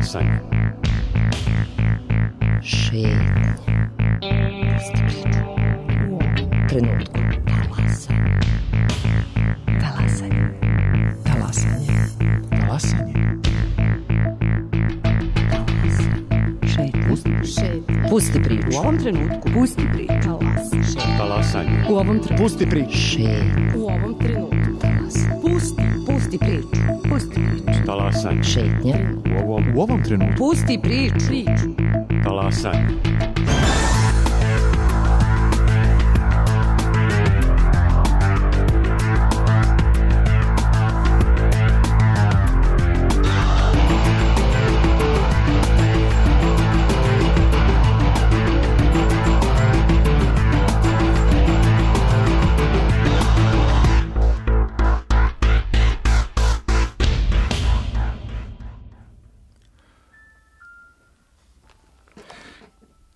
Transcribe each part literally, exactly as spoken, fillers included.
Talasanje. Šetnje. Pusti priču. U ovom trenutku. Talasanje. Talasanje. Talasanje. Talasanje. Šetnje. Pusti priču. U ovom trenutku. Pusti priču. Talasanje. Talasanje. U ovom trenutku. Pusti priču. Šetnje. U ovom trenutku. Talasanje. Pusti. Pusti priču. Pusti priču. Talasanje. Šetnje. U ovom, U ovom trenutku. Pusti priču. Priču. talasanje.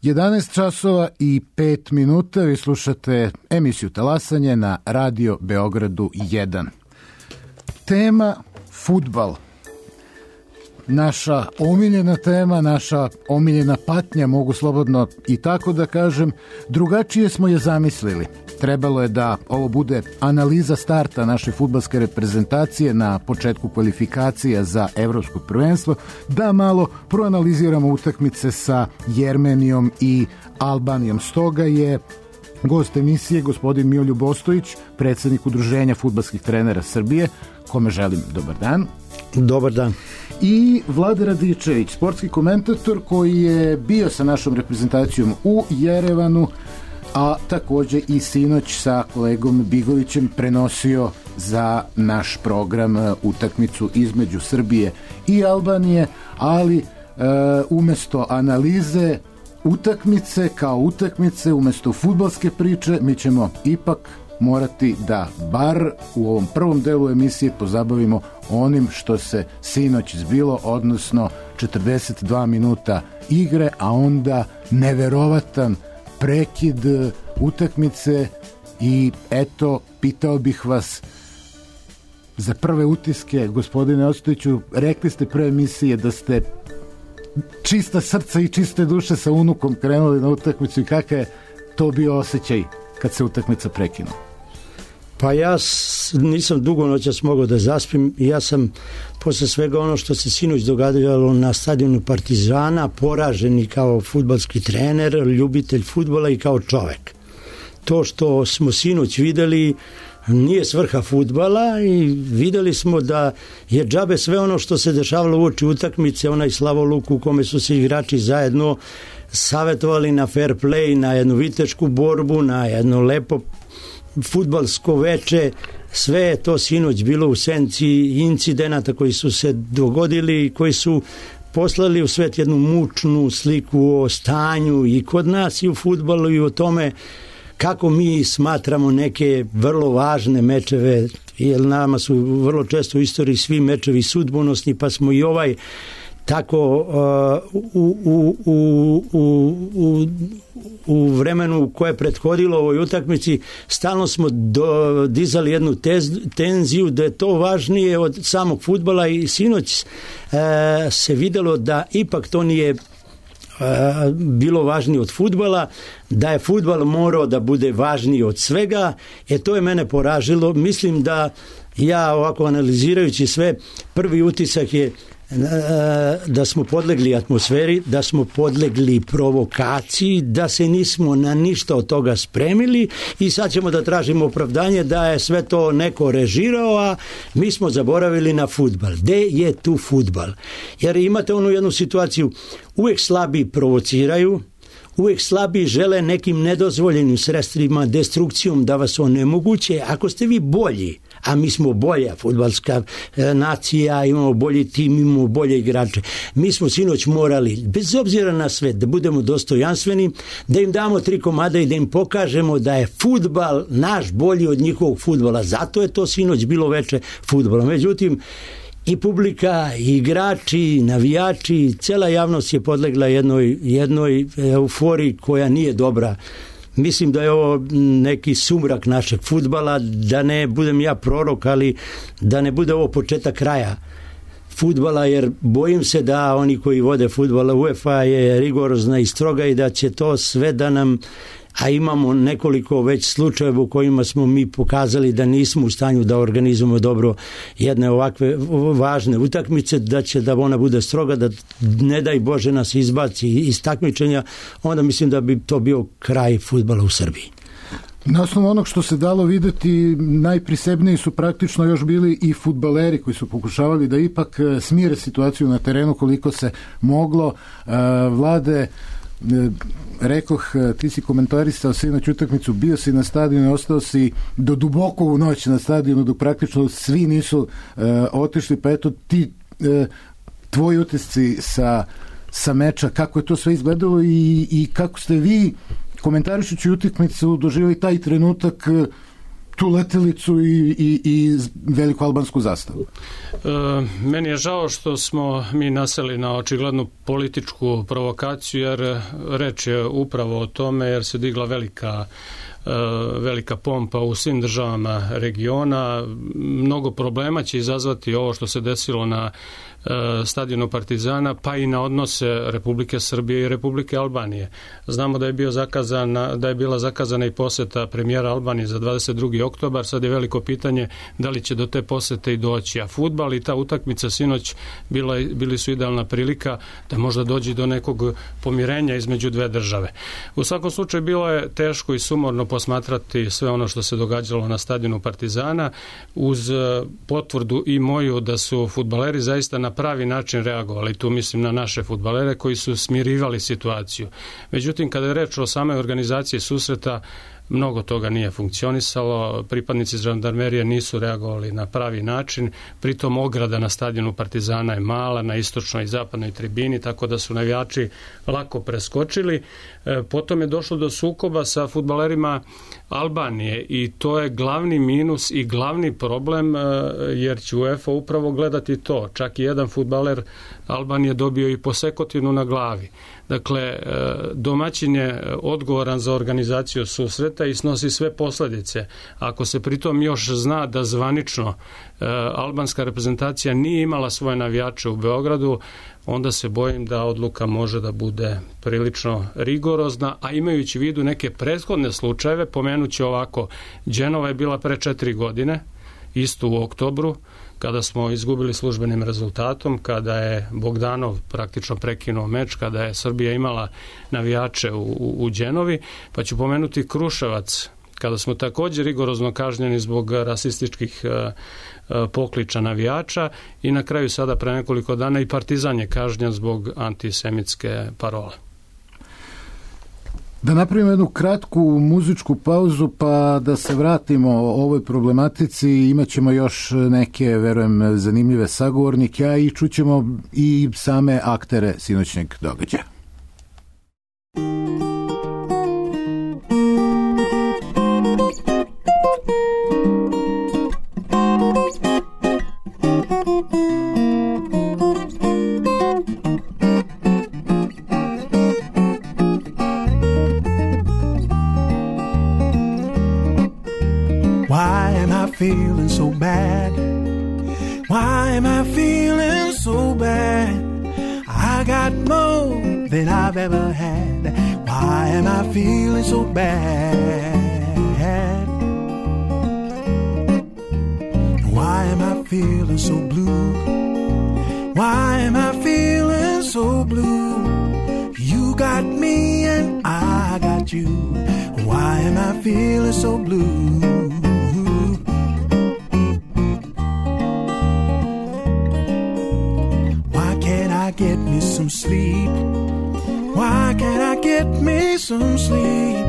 jedanaest časova i pet minuta, vi slušate emisiju Talasanje na Radio Beogradu jedan. Tema fudbal. Naša omiljena tema, naša omiljena patnja, mogu slobodno i tako da kažem. Drugačije smo je zamislili. Trebalo je da ovo bude analiza starta naše fudbalske reprezentacije na početku kvalifikacija za evropsko prvenstvo, da malo proanaliziramo utakmice sa Jermenijom i Albanijom. Stoga je gost emisije gospodin Miroljub Ostojić, predsjednik Udruženja fudbalskih trenera Srbije, kome želim dobar dan. Dobar dan. I Vlada Radičević, sportski komentator koji je bio sa našom reprezentacijom u Jerevanu, a također i sinoć sa kolegom Bigovićem prenosio za naš program utakmicu između Srbije i Albanije, ali e, umjesto analize utakmice kao utakmice, umjesto fudbalske priče, mi ćemo ipak morati da bar u ovom prvom delu emisije pozabavimo onim što se sinoć zbilo, odnosno četrdeset dva minuta igre, a onda neverovatan prekid utakmice. I eto, pitao bih vas za prve utiske, gospodine Ostojiću, rekli ste pre emisije da ste čista srca i čiste duše sa unukom krenuli na utakmicu i kakav je to bio osjećaj kad se utakmica prekinula? Pa ja nisam dugo noćas mogao da zaspim i ja sam posle svega ono što se sinoć događalo na stadionu Partizana poražen i kao fudbalski trener, ljubitelj fudbala i kao čovek. To što smo sinoć videli nije svrha fudbala i videli smo da je džabe sve ono što se dešavalo uoči utakmice, onaj slavoluk u kome su se igrači zajedno savjetovali na fair play, na jednu vitešku borbu, na jedno lepo fudbalsko veče. Sve je to sinoć bilo u senci incidenata koji su se dogodili i koji su poslali u svet jednu mučnu sliku o stanju i kod nas i u fudbalu i o tome kako mi smatramo neke vrlo važne mečeve, jer nama su vrlo često u istoriji svi mečevi sudbonosni, pa smo i ovaj tako uh, u, u, u, u, u, u vremenu koje je prethodilo ovoj utakmici stalno smo do, dizali jednu tez, tenziju da je to važnije od samog fudbala i sinoć uh, se videlo da ipak to nije Uh, bilo važnije od fudbala, da je fudbal morao da bude važniji od svega. E to je mene poražilo. Mislim da ja ovako analizirajući sve, prvi utisak je uh, da smo podlegli atmosferi, da smo podlegli provokaciji, da se nismo na ništa od toga spremili i sad ćemo da tražimo opravdanje da je sve to neko režirao, a mi smo zaboravili na fudbal. Gde je tu fudbal? Jer imate onu jednu situaciju, uvijek slabi provociraju, uvijek slabi žele nekim nedozvoljenim sredstvima, destrukcijom da vas onemoguće. Ako ste vi bolji, a mi smo bolja fudbalska e, nacija, imamo bolji tim, imamo bolje igrače, mi smo sinoć morali, bez obzira na sve, da budemo dostojanstveni, da im damo tri komada i da im pokažemo da je fudbal naš bolji od njihovog fudbala. Zato je to sinoć bilo veče fudbala. Međutim, i publika, i igrači, i navijači, cela javnost je podlegla jednoj, jednoj euforiji koja nije dobra. Mislim da je ovo neki sumrak našeg fudbala, da ne budem ja prorok, ali da ne bude ovo početak kraja fudbala, jer bojim se da oni koji vode fudbala, UEFA je rigorozna i stroga i da će to sve da nam, a imamo nekoliko već slučajeva u kojima smo mi pokazali da nismo u stanju da organizujemo dobro jedne ovakve važne utakmice, da će da ona bude stroga, da ne daj Bože nas izbaci iz takmičenja, onda mislim da bi to bio kraj fudbala u Srbiji. Na osnovu onog što se dalo videti, najprisebniji su praktično još bili i fudbaleri koji su pokušavali da ipak smire situaciju na terenu koliko se moglo. Vlade, rekoh, ti si komentarisao sinoć utakmicu, bio si na stadionu i ostao si do duboko u noć na stadionu dok praktično svi nisu uh, otišli, pa eto ti uh, tvoji utisci sa, sa meča, kako je to sve izgledalo i, i kako ste vi komentarišući utakmicu doživjeli taj trenutak, tu letelicu i, i, i veliku albansku zastavu? E, meni je žao što smo mi naseli na očiglednu političku provokaciju, jer reč je upravo o tome, jer se digla velika velika pompa u svim državama regiona. Mnogo problema će izazvati ovo što se desilo na stadionu Partizana, pa i na odnose Republike Srbije i Republike Albanije. Znamo da je bio zakazana, da je bila zakazana i poseta premijera Albanije za dvadeset drugi oktobar. Sad je veliko pitanje da li će do te posete i doći. A fudbal i ta utakmica sinoć bila, bili su idealna prilika da možda dođe do nekog pomirenja između dve države. U svakom slučaju bilo je teško i sumorno posmatrati sve ono što se događalo na stadionu Partizana, uz potvrdu i moju da su fudbaleri zaista na pravi način reagovali. Tu mislim na naše fudbalere koji su smirivali situaciju. Međutim, kada je reč o samoj organizaciji susreta, mnogo toga nije funkcionisalo, pripadnici žandarmerije nisu reagovali na pravi način, pritom ograda na stadionu Partizana je mala, na istočnoj i zapadnoj tribini, tako da su navijači lako preskočili. E, potom je došlo do sukoba sa fudbalerima Albanije i to je glavni minus i glavni problem, e, jer će UEFA upravo gledati to. Čak i jedan fudbaler Albanije dobio i posekotinu na glavi. Dakle, domaćin je odgovoran za organizaciju susreta i snosi sve posljedice. Ako se pritom još zna da zvanično albanska reprezentacija nije imala svoje navijače u Beogradu, onda se bojim da odluka može da bude prilično rigorozna, a imajući u vidu neke prethodne slučajeve, pomenući ovako, Dženova je bila pre četiri godine, isto u oktobru, kada smo izgubili službenim rezultatom, kada je Bogdanov praktično prekinuo meč, kada je Srbija imala navijače u, u, u Đenovi, pa ću pomenuti Kruševac, kada smo također rigorozno kažnjeni zbog rasističkih uh, uh, pokliča navijača i na kraju sada pre nekoliko dana i Partizan je kažnjen zbog antisemitske parole. Da napravimo jednu kratku muzičku pauzu pa da se vratimo o ovoj problematici. Imaćemo još neke, verujem, zanimljive sagovornike, a i čućemo i same aktere sinoćnjeg događaja. Feeling so bad. Why am I feeling so bad? I got more than I've ever had. Why am I feeling so bad? Why am I feeling so blue? Why am I feeling so blue? You got me and I got you. Why am I feeling so blue? Get me some sleep. Why can't I get me some sleep?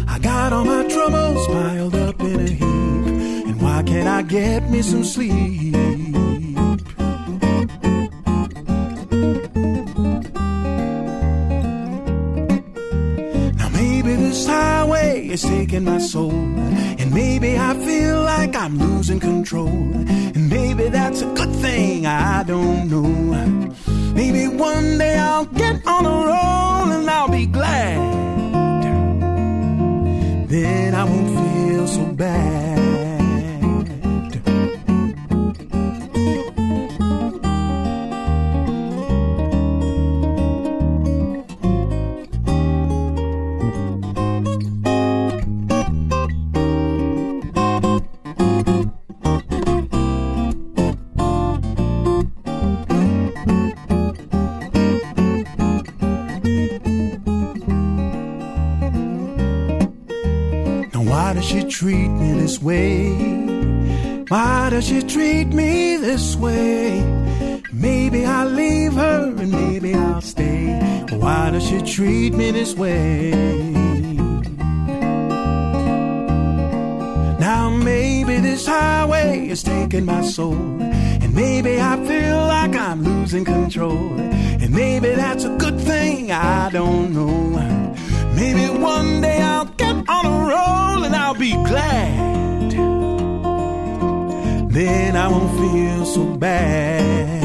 I got all my troubles piled up in a heap. And why can't I get me some sleep? Now maybe this highway is taking my soul, and maybe I feel like I'm losing control, and maybe that's a good thing, I don't know. Maybe one day I'll get on a roll and I'll be glad. Then I won't feel so bad. this way? Why does she treat me this way? Maybe I'll leave her and maybe I'll stay. Why does she treat me this way? Now maybe this highway is taking my soul, and maybe I feel like I'm losing control, and maybe that's a good thing, I don't know. Maybe one day I'll get on a roll and I'll be glad. Then I won't feel so bad.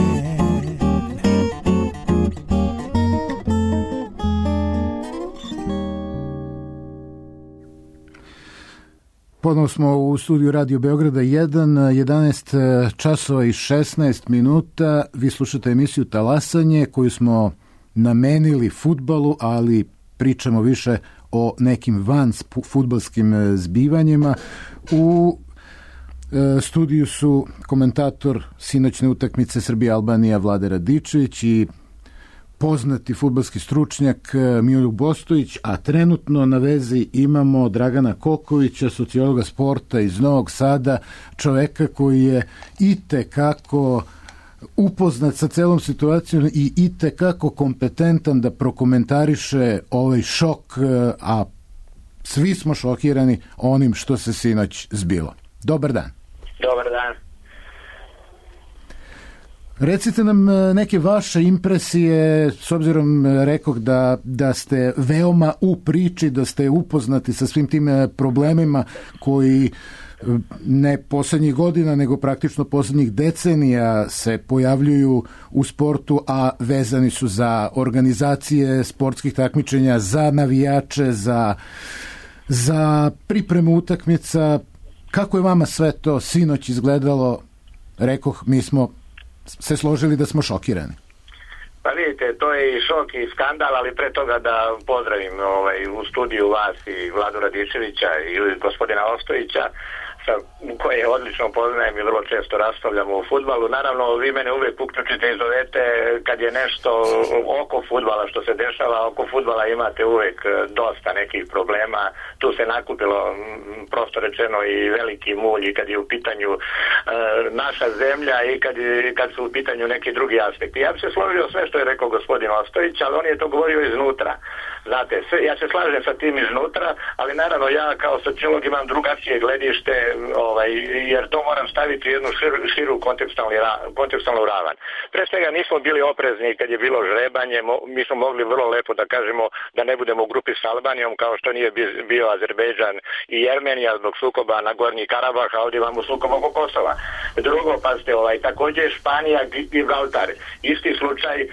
Ponovo smo u studiju Radio Beograda jedan, jedanaest časova i šesnaest minuta. Vi slušate emisiju Talasanje koju smo namenili fudbalu, ali pričamo više o nekim van fudbalskim zbivanjima. U e, studiju su komentator sinoćne utakmice Srbija-Albanija Vlade Radičević i poznati fudbalski stručnjak Miroljub Bostojić, a trenutno na vezi imamo Dragana Kokovića, sociologa sporta iz Novog Sada, čoveka koji je itekako upoznat sa celom situacijom i itekako kompetentan da prokomentariše ovaj šok, a svi smo šokirani onim što se sinoć zbilo. Dobar dan. Dobar dan. Recite nam neke vaše impresije, s obzirom rekoh da, da ste veoma u priči, da ste upoznati sa svim tim problemima koji ne poslednjih godina, nego praktično poslednjih decenija se pojavljuju u sportu, a vezani su za organizacije sportskih takmičenja, za navijače, za, za pripremu utakmica. Kako je vama sve to sinoć izgledalo? Rekoh, mi smo se složili da smo šokirani. Pa vidite, to je i šok i skandal, ali pre toga da pozdravim ovaj, u studiju vas i Vladu Radičevića i gospodina Ostojića, sa koje odlično poznajem i vrlo često raspravljamo o fudbalu. Naravno, vi mene uvek uključite i zovete kad je nešto oko fudbala što se dešava. Oko fudbala imate uvek dosta nekih problema. Tu se nakupilo, prosto rečeno, i veliki mulj i kad je u pitanju e, naša zemlja i kad, je, kad su u pitanju neki drugi aspekti. Ja bi se složio sve što je rekao gospodin Ostojić, ali on je to govorio iznutra. Znate, sve, ja se slažem sa tim iznutra, ali naravno ja kao sociolog imam drugačije gledište, ovaj, jer to moram staviti u jednu širu, širu kontekstualnu ravan. Pre svega nismo bili oprezni kad je bilo žrebanje, mo, mi smo mogli vrlo lepo da kažemo da ne budemo u grupi s Albanijom, kao što nije bio Azerbejdžan i Jermenija zbog sukoba na Gornji Karabah, a ovdje imamo sukob oko Kosova. Drugo, pazite, ovaj, također Španija i Gibraltar, isti slučaj, e,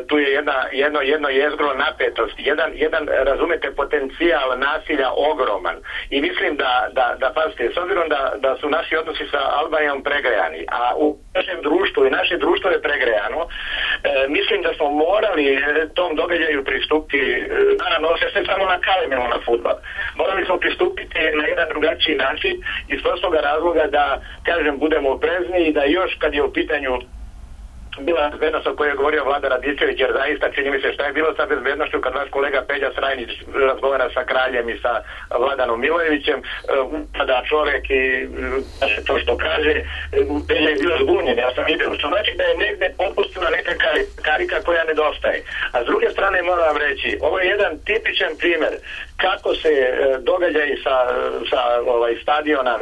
tu je jedna, jedno, jedno jezgro napetosti, jedan jedan, razumete, potencijal nasilja ogroman. I mislim da, da, da pazite, s obzirom da, da su naši odnosi sa Albanijom pregrejani, a u našem društvu i naše društvo je pregrejano, e, mislim da smo morali tom događaju pristupiti, e, naravno, se sve samo na kalemilo na fudbal. Morali smo pristupiti na jedan drugačiji način iz prostog razloga da, kažem, budemo oprezni i da još kad je u pitanju bila bezbednost o kojoj je govorio Vlada Radičević, jer zaista čini mi se šta je bilo sa bezbednošću kad naš kolega Peđa Srajnić razgovara sa kraljem i sa Vladanom Milojevićem, tada čovek i to što kaže, Peđa je bio zbunjen, ja sam vidio, što znači da je negde popustila neka karika koja nedostaje. A s druge strane moram reći, ovo je jedan tipičan primer kako se događaj sa, sa ovaj, stadiona,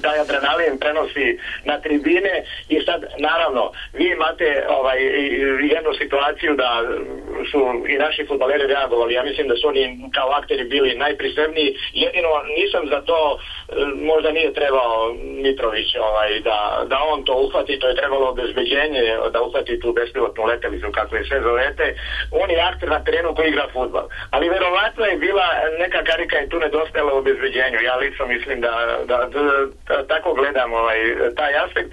taj adrenalin prenosi na tribine i sad, naravno, vi imate ovaj, jednu situaciju da su i naši fudbaleri reagovali. Ja mislim da su oni kao akteri bili najprisebniji. Jedino nisam za to, možda nije trebao Mitrović ovaj, da, da on to uhvati, to je trebalo obezbeđenje da uhvati tu bespilotnu letelicu, kako je sve zovete. On je akter na terenu koji igra fudbal. Ali verovatno je bila neka karika i tu nedostajala u obezbeđenju. Ja lično mislim da, da, da, da tako gledam ovaj, taj aspekt.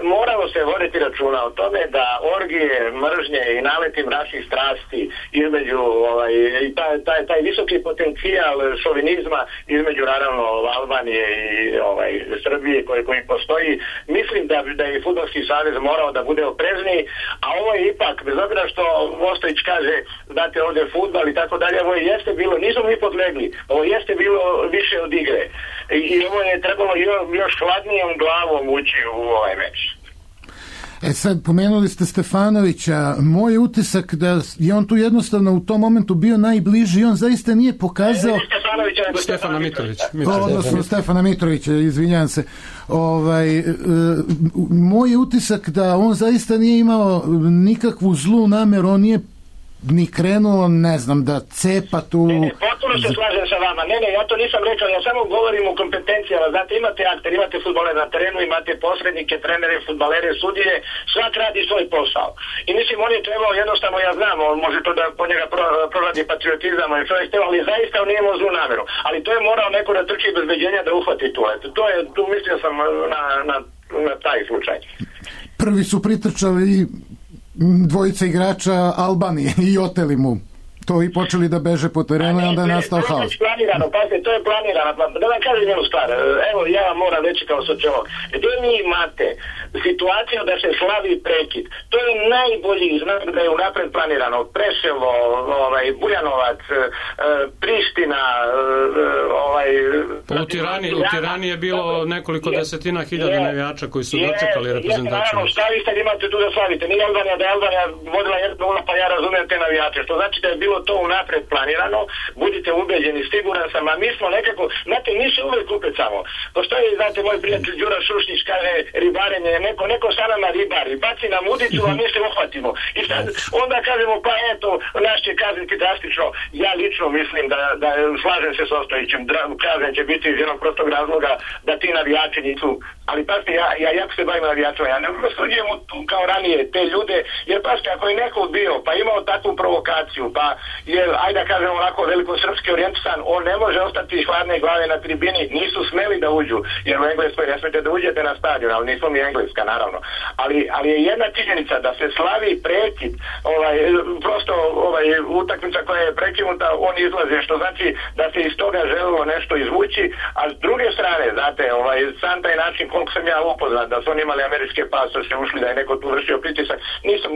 Moralo se voditi računa o tome da orgije, mržnje i naleti mračnih strasti između ovaj, taj, taj, taj visoki potencijal šovinizma između naravno Albanije i ovaj, Srbije koji, koji postoji, mislim da, da je Fudbalski savez morao da bude oprezniji, a ovo je ipak, bez obzira što Vostović kaže, znate ovdje fudbal i tako dalje, ovo jeste bilo, nismo mi podlegli. Ovo jeste bilo više od igre. I, i ovo je trebalo još, još hladnijom glavom ući u ovaj meč. E sad, pomenuli ste Stefanovića, moj utisak da je on tu jednostavno u tom momentu bio najbliži i on zaista nije pokazao... Ne, Stefanovića, nego Stefana Mitrović. Mitrović. Odnosno Stefana Mitrovića, izvinjam se. Ovaj, e, moj utisak da on zaista nije imao nikakvu zlu nameru, on nije ni krenuo, ne znam, da cepa tu... Ne, ne, potpuno se slažem sa vama. Ne, ne, ja to nisam rekao, ja samo govorim o kompetencijama. Znate, imate akter, imate fudbaler na terenu, imate posrednike, trenere, fudbalere, sudije, svak radi svoj posao. I mislim, on je trebao, jednostavno, ja znam, on može to da po njega pro, proradi patriotizam, ali zaista on nije imao zlu nameru. Ali to je morao neko da trči bezbeđenja da uhvati tu. Eto, to je, tu mislio sam na, na, na taj slučaj. Prvi su pritrčali dvojica igrača Albanije i oteli mu to i počeli da beže po terenu i onda je nastao haos. To je planirano, pazite, to je planirano. Da vam kažem jednu stvar, evo ja vam moram reći kao sociolog, gdje mi imate situaciju da se slavi prekid, to je najbolji znak da je unapred planirano. Preševo, ovaj, Bujanovac, Priština, ovaj... U Tirani, u Tirani je bilo nekoliko desetina hiljada navijača koji su dočekali reprezentaciju. Naravno, šta vi sad imate tu da slavite? Nije Albanija da je Albanija vodila jedno nula, pa ja razumijem te navijače, što znači da je bilo to unapred planirano, budite ubeđeni, siguran sam, a mi smo nekako, znate, nisu uvek upet samo. Postoji, znate, moj prijatelj Đura Šušnić kaže ribarenje, neko, neko sa nama ribari, baci nam udicu, a mi se uhvatimo. I sad, onda kažemo, pa eto, naš će kazniti drastično. Ja lično mislim da, da slažem se s Ostojićem, kazan će biti iz jednog prostog razloga da ti navijači nisu, ali pasite, ja, ja jako se bavim navijačima, ja ne prosuđujem kao ranije te ljude, jer pasite, ako je neko bio, pa imao takvu provokaciju, pa je, ajde da kažemo onako velikosrpski orijentisan, on ne može ostati hladne glave na tribini, nisu smeli da uđu, jer u Engleskoj ne smete da uđete na stadion, ali nismo mi Engleska, naravno. Ali, ali je jedna činjenica da se slavi prekid, ovaj, prosto ovaj, utakmica koja je prekinuta, on izlaze, što znači da se iz toga želilo nešto izvući, a s druge strane, znate, ovaj, sam taj način, koliko sam ja upoznat, da su oni imali američke pasoše, ušli, da je neko tu vršio pritisak, nisam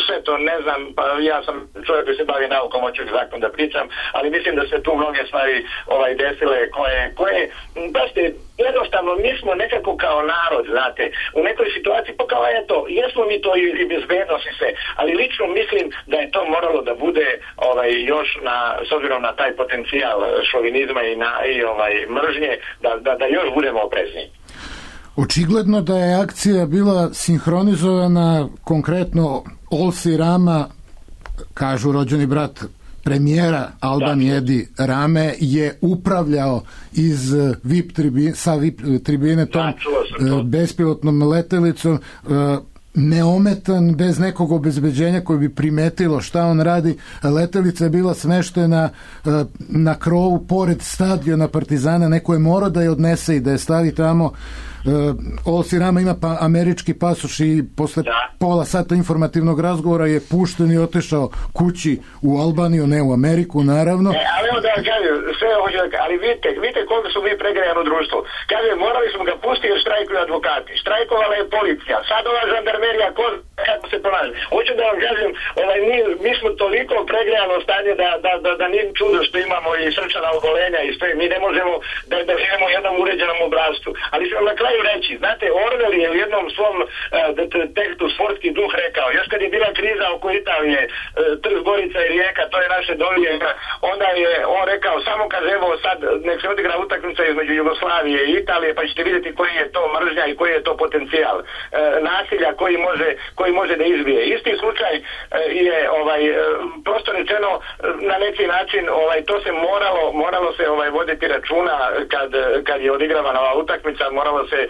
sve to, ne znam, pa ja sam čovjek koji se bavi naukom, hoću zakon da pričam, ali mislim da se tu mnoge stvari ovaj, desile koje, koje baš te, jednostavno, mi smo nekako kao narod, znate, u nekoj situaciji, pa kao eto, jesmo mi to i, i bezbednost i sve, ali lično mislim da je to moralo da bude ovaj, još na, s obzirom na taj potencijal šovinizma i, na, i ovaj, mržnje, da, da, da još budemo oprezniji. Očigledno da je akcija bila sinhronizovana, konkretno Olsi Rama, kažu rođeni brat premijera Albanije Edi Rame, je upravljao iz V I P tribine, sa V I P tribine tom da, bespilotnom letelicom, neometan, bez nekog obezbeđenja koji bi primetilo šta on radi. Letelica je bila smeštena na krovu pored stadiona Partizana, neko je morao da je odnese i da je stavi tamo. Olsi Rama ima pa američki pasoš i posle da. pola sata informativnog razgovora je pušten i otešao kući u Albaniju, ne u Ameriku, naravno. E, ali evo da vam kažem, sve hoću da, ali vidite, vidite koliko su mi pregrejano društvo. Kaže, morali smo ga pustiti jer štrajkuju advokati. Štrajkovala je policija, sad ova žandarmerija, ko kako se ponaša. Hoću da vam kažem, ovaj, mi, mi smo toliko pregrejano stanje da, da, da, da nije čudo što imamo i srčana obolenja i sve. Mi ne možemo da, da živimo u jednom uređenom obrazcu. Ali sam na kraju reći, znate, Orwell je u jednom svom uh, tekstu Sportski duh rekao, još kad je bila kriza oko Italije, uh, Trst, Gorica i Rijeka, to je naše dolje, onda je on rekao, samo kaže, evo sad, nek se odigra utakmica između Jugoslavije i Italije, pa ćete vidjeti koji je to mržnja i koji je to potencijal uh, nasilja koji može, koji može da izbije. Isti slučaj uh, je ovaj, uh, prosto rečeno uh, na neki način, ovaj, to se moralo, moralo se ovaj, voditi računa kad, kad je odigravana ova utakmica, moralo se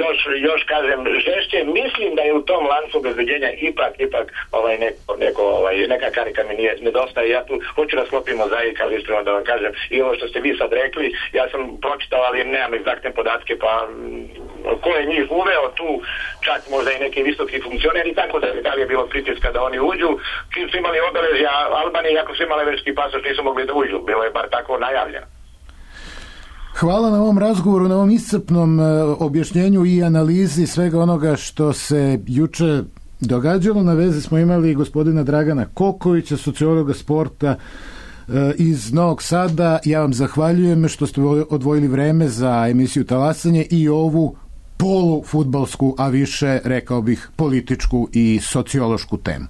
još, još kažem žešće, mislim da je u tom lancu obezbeđenja ipak, ipak ovaj neko, neko ovaj, neka karika mi nije, nedostaje, ja tu hoću da sklopimo zaik, ali iskreno da vam kažem i ovo što ste vi sad rekli, ja sam pročitao, ali nemam egzaktne podatke, pa ko je njih uveo tu, čak možda i neki visoki funkcioneri, tako da, da li je bilo pritiska da oni uđu, čim su imali obeležja Albanije, ako su imali američki pasoš, nisu mogli da uđu, bilo je bar tako najavljeno. Hvala na ovom razgovoru, na ovom iscrpnom objašnjenju i analizi svega onoga što se juče događalo. Na vezi smo imali gospodina Dragana Kokovića, sociologa sporta, iz Novog Sada. Ja vam zahvaljujem što ste odvojili vreme za emisiju Talasanje i ovu polufudbalsku, a više, rekao bih, političku i sociološku temu.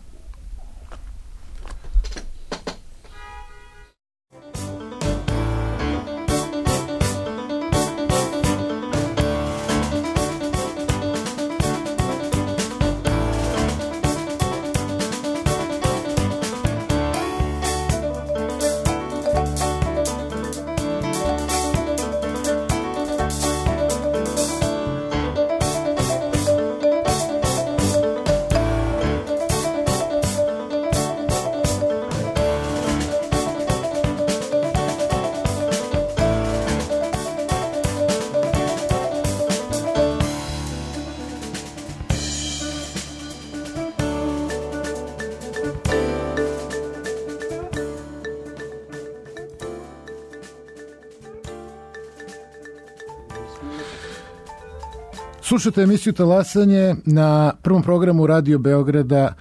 Slušate emisiju Talasanje na prvom programu Radio Beograda,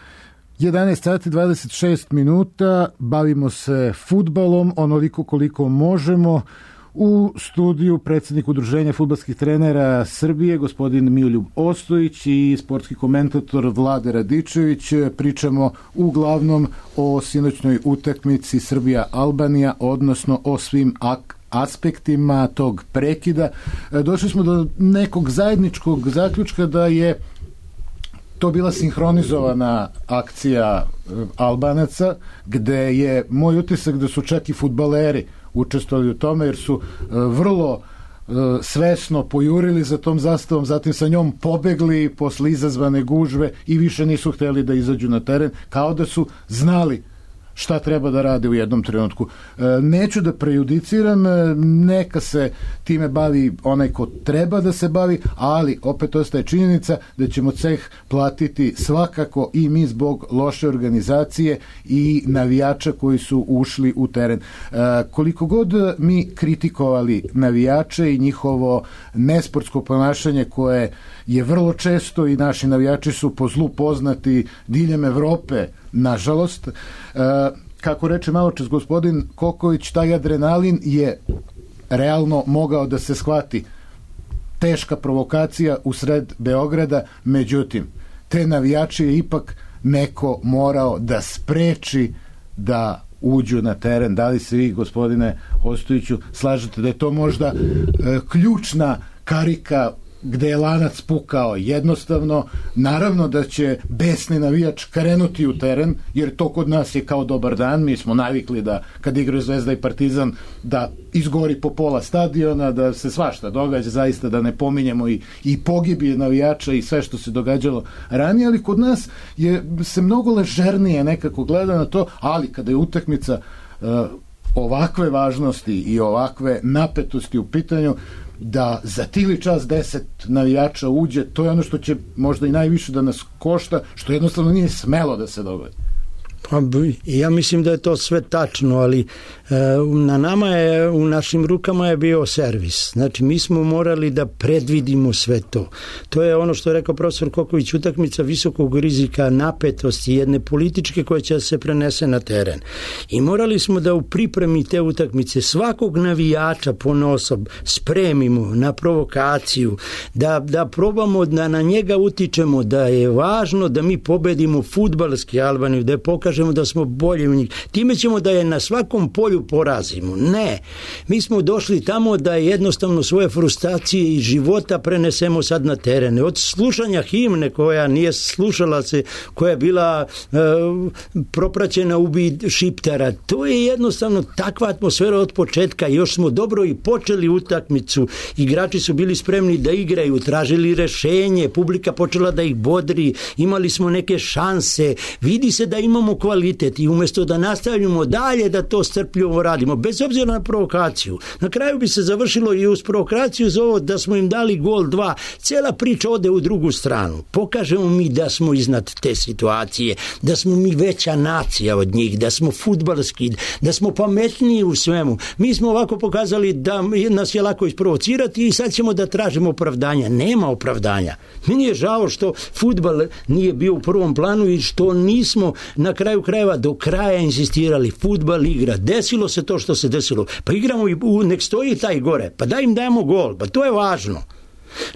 jedanaest sati dvadeset šest minuta, bavimo se fudbalom onoliko koliko možemo. U studiju predsjednik Udruženja fudbalskih trenera Srbije, gospodin Miroljub Ostojić, i sportski komentator Vlade Radičević. Pričamo uglavnom o sinoćnoj utakmici Srbija-Albanija, odnosno o svim ak aspektima tog prekida. Došli smo do nekog zajedničkog zaključka da je to bila sinhronizovana akcija Albanaca, gde je moj utisak da su čak i fudbaleri učestvovali u tome, jer su vrlo svesno pojurili za tom zastavom, zatim sa njom pobegli posle izazvane gužve i više nisu hteli da izađu na teren, kao da su znali šta treba da rade u jednom trenutku. Neću da prejudiciram, neka se time bavi onaj ko treba da se bavi, ali opet ostaje činjenica da ćemo ceh platiti svakako i mi zbog loše organizacije i navijača koji su ušli u teren. Koliko god mi kritikovali navijače i njihovo nesportsko ponašanje koje je vrlo često, i naši navijači su po zlu poznati diljem Evrope, nažalost, kako reče malo čas gospodin Koković, taj adrenalin je realno mogao da se shvati. Teška provokacija u sred Beograda, međutim, te navijače je ipak neko morao da spreči da uđu na teren. Da li se vi, gospodine Ostojiću, slažete da je to možda e, ključna karika gde je lanac pukao? Jednostavno, naravno da će besni navijač krenuti u teren, jer to kod nas je kao dobar dan. Mi smo navikli da kad igraju Zvezda i Partizan da izgori po pola stadiona, da se svašta događa, zaista da ne pominjemo i, i pogibije navijača i sve što se događalo ranije, ali kod nas je se mnogo ležernije nekako gleda na to, ali kada je utakmica uh, ovakve važnosti i ovakve napetosti u pitanju, da za tili čas deset navijača uđe, to je ono što će možda i najviše da nas košta, što jednostavno nije smelo da se dogodi. Pa, ja mislim da je to sve tačno, ali e, na nama je, u našim rukama je bio servis. Znači, mi smo morali da predvidimo sve to. To je ono što je rekao profesor Koković, utakmica visokog rizika, napetosti, jedne političke koja će se prenese na teren. I morali smo da u pripremi te utakmice svakog navijača ponosob spremimo na provokaciju, da, da probamo da na njega utičemo, da je važno da mi pobedimo fudbalski Albaniju, da je pokažemo da smo bolji u njih. Time ćemo da je na svakom polju porazimo. Ne. Mi smo došli tamo da jednostavno svoje frustracije i života prenesemo sad na terene. Od slušanja himne koja nije slušala se, koja je bila e, propraćena ubi Šiptara. To je jednostavno takva atmosfera od početka. Još smo dobro i počeli utakmicu. Igrači su bili spremni da igraju, tražili rešenje, publika počela da ih bodri, imali smo neke šanse. Vidi se da imamo kvalitet i umjesto da nastavljamo dalje da to strpljivo radimo, bez obzira na provokaciju. Na kraju bi se završilo i uz provokaciju za ovo da smo im dali gol dva. Cela priča ode u drugu stranu. Pokažemo mi da smo iznad te situacije, da smo mi veća nacija od njih, da smo fudbalski, da smo pametniji u svemu. Mi smo ovako pokazali da nas je lako isprovocirati i sad ćemo da tražimo opravdanja. Nema opravdanja. Meni je žao što fudbal nije bio u prvom planu i što nismo na kraju kraju krajeva do kraja insistirali, fudbal igra, desilo se to što se desilo, pa igramo i nek stoji taj gore, pa daj im dajemo gol, pa to je važno.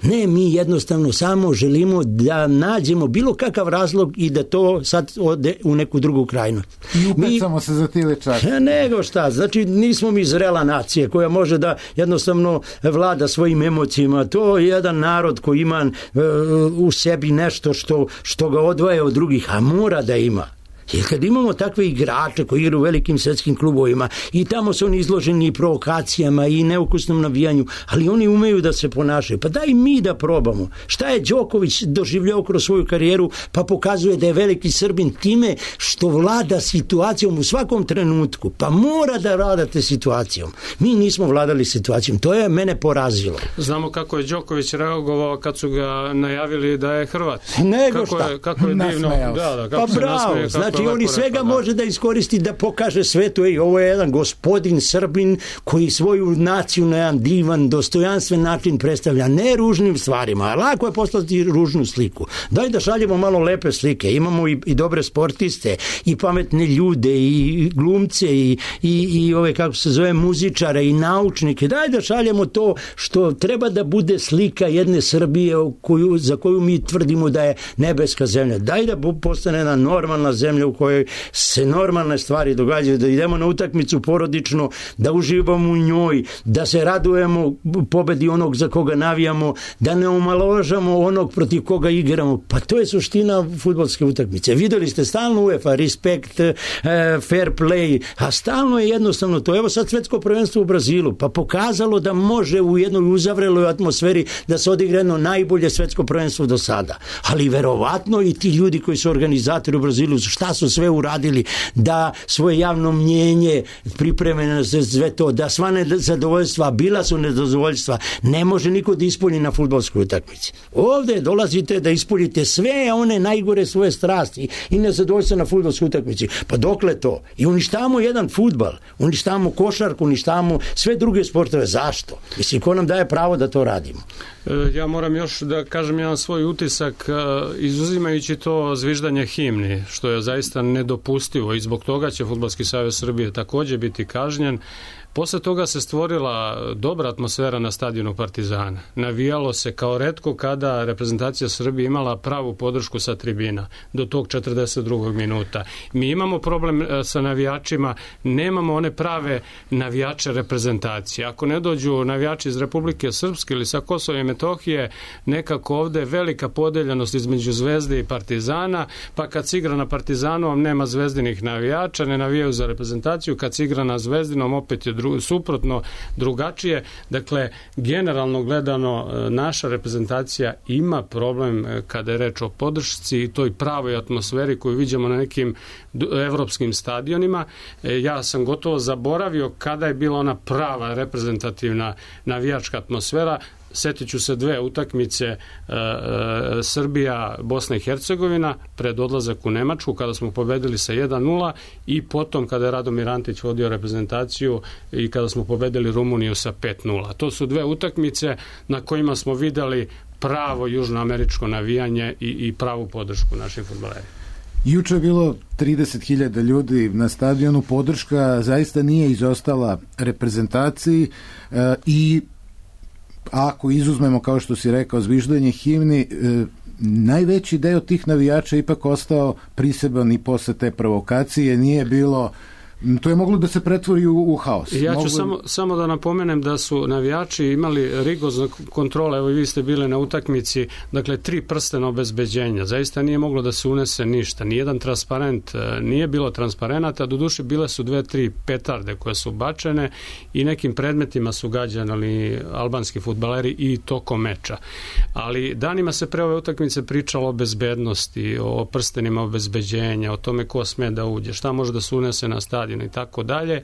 Ne, mi jednostavno samo želimo da nađemo bilo kakav razlog i da to sad ode u neku drugu krajnost. I upecamo mi, se za tile časti. Nego šta, znači nismo mi zrela nacija koja može da jednostavno vlada svojim emocijama. To je jedan narod koji ima uh, u sebi nešto što, što ga odvaja od drugih, a mora da ima. Jer kad imamo takve igrače koji igraju u velikim svetskim klubovima i tamo su oni izloženi provokacijama i neukusnom navijanju, ali oni umeju da se ponašaju. Pa daj mi da probamo. Šta je Đoković doživljao kroz svoju karijeru, pa pokazuje da je veliki Srbin time što vlada situacijom u svakom trenutku. Pa mora da vladate situacijom. Mi nismo vladali situacijom. To je mene porazilo. Znamo kako je Đoković reagovao kad su ga najavili da je Hrvat. Nego kako šta? Je, kako je divno. Da, da, kako pa bravo, znači on i svega može da iskoristi da pokaže svetu, ej, ovo je jedan gospodin Srbin koji svoju naciju na jedan divan, dostojanstven način predstavlja, ne ružnim stvarima, a lako je poslati ružnu sliku. Daj da šaljemo malo lepe slike, imamo i, i dobre sportiste, i pametne ljude, i glumce, i, i, i ove, kako se zove, muzičare, i naučnike, daj da šaljemo to što treba da bude slika jedne Srbije koju, za koju mi tvrdimo da je nebeska zemlja. Daj da postane jedna normalna zemlja u kojoj se normalne stvari događaju, da idemo na utakmicu porodično, da uživamo u njoj, da se radujemo pobedi onog za koga navijamo, da ne omalovažamo onog protiv koga igramo. Pa to je suština fudbalske utakmice. Videli ste stalno UEFA, respekt, fair play, a stalno je jednostavno to. Evo sad svetsko prvenstvo u Brazilu, pa pokazalo da može u jednoj uzavreloj atmosferi da se odigra jedno najbolje svetsko prvenstvo do sada. Ali verovatno i ti ljudi koji su organizatori u Brazilu, šta su sve uradili da svoje javno mnjenje pripreme na sve to, da sva nezadovoljstva, bila su nezadovoljstva, ne može niko da ispolji na fudbalskoj utakmici. Ovde dolazite da ispoljite sve one najgore svoje strasti i nezadovoljstva na fudbalskoj utakmici. Pa dokle to? I uništavamo jedan fudbal, uništavamo košarku, uništavamo sve druge sportove. Zašto? Mislim, ko nam daje pravo da to radimo? Ja moram još da kažem jedan svoj utisak, izuzimajući to zviždanje himni, što je zaista nedopustivo i zbog toga će Fudbalski savez Srbije također biti kažnjen. Posle toga se stvorila dobra atmosfera na stadionu Partizana. Navijalo se kao retko kada reprezentacija Srbije imala pravu podršku sa tribina do tog četrdeset drugog minuta. Mi imamo problem sa navijačima, nemamo one prave navijače reprezentacije. Ako ne dođu navijači iz Republike Srpske ili sa Kosova i Metohije, nekako ovde velika podeljenost između Zvezde i Partizana, pa kad se igra na Partizanovom nema zvezdinih navijača, ne navijaju za reprezentaciju, kad se igra na Zvezdinom opet je dru suprotno, drugačije. Dakle, generalno gledano, naša reprezentacija ima problem kada je reč o podršci i toj pravoj atmosferi koju vidimo na nekim evropskim stadionima. Ja sam gotovo zaboravio kada je bila ona prava reprezentativna navijačka atmosfera. Setit ću se dve utakmice e, e, Srbija, Bosna i Hercegovina pred odlazak u Nemačku kada smo pobedili sa jedan nula i potom kada je Radomir Antić vodio reprezentaciju i kada smo pobedili Rumuniju sa pet nula. To su dve utakmice na kojima smo videli pravo južnoameričko navijanje i, i pravu podršku naših fudbalera. Juče je bilo trideset hiljada ljudi na stadionu, podrška zaista nije izostala reprezentaciji e, i ako izuzmemo, kao što si rekao, zviždanje himni, e, najveći deo tih navijača ipak ostao priseban i posle te provokacije, nije bilo, to je moglo da se pretvori u, u haos. Ja ću moglo... samo, samo da napomenem da su navijači imali rigorozne kontrole, evo i vi ste bili na utakmici, dakle tri prstena obezbeđenja, zaista nije moglo da se unese ništa, nijedan transparent, nije bilo transparenata, doduše bile su dve, tri petarde koje su bačene i nekim predmetima su gađani albanski fudbaleri i tokom meča. Ali danima se pre ove utakmice pričalo o bezbednosti, o prstenima obezbeđenja, o tome ko sme da uđe, šta može da se unese na stadion i tako dalje,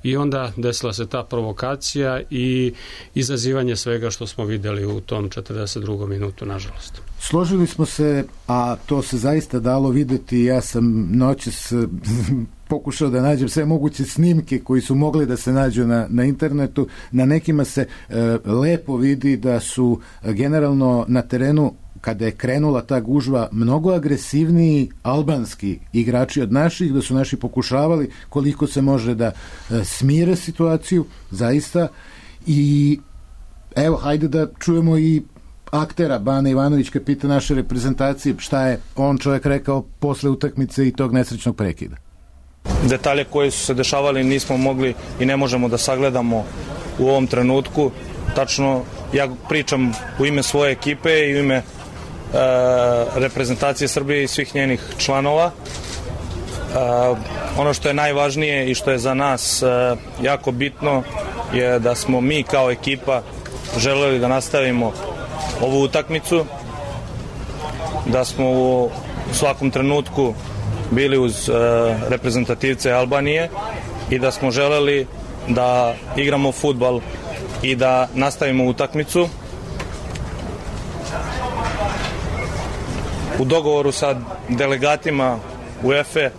i onda desila se ta provokacija i izazivanje svega što smo videli u tom četrdeset drugom minutu, nažalost. Složili smo se, a to se zaista dalo videti. Ja sam noćas pokušao da nađem sve moguće snimke koji su mogli da se nađu na, na internetu. Na nekima se e, lepo vidi da su generalno na terenu kada je krenula ta gužva, mnogo agresivniji albanski igrači od naših, da su naši pokušavali koliko se može da smire situaciju, zaista. I evo, hajde da čujemo i aktera. Bane Ivanović, kapitan naše reprezentacije, šta je on čovjek rekao posle utakmice i tog nesrećnog prekida. Detalje koji su se dešavali nismo mogli i ne možemo da sagledamo u ovom trenutku. Tačno, ja pričam u ime svoje ekipe i u ime e, reprezentacije Srbije i svih njenih članova. E, ono što je najvažnije i što je za nas e, jako bitno je da smo mi kao ekipa želeli da nastavimo ovu utakmicu, da smo u svakom trenutku bili uz e, reprezentativce Albanije i da smo želeli da igramo fudbal i da nastavimo utakmicu. U dogovoru sa delegatima UEFA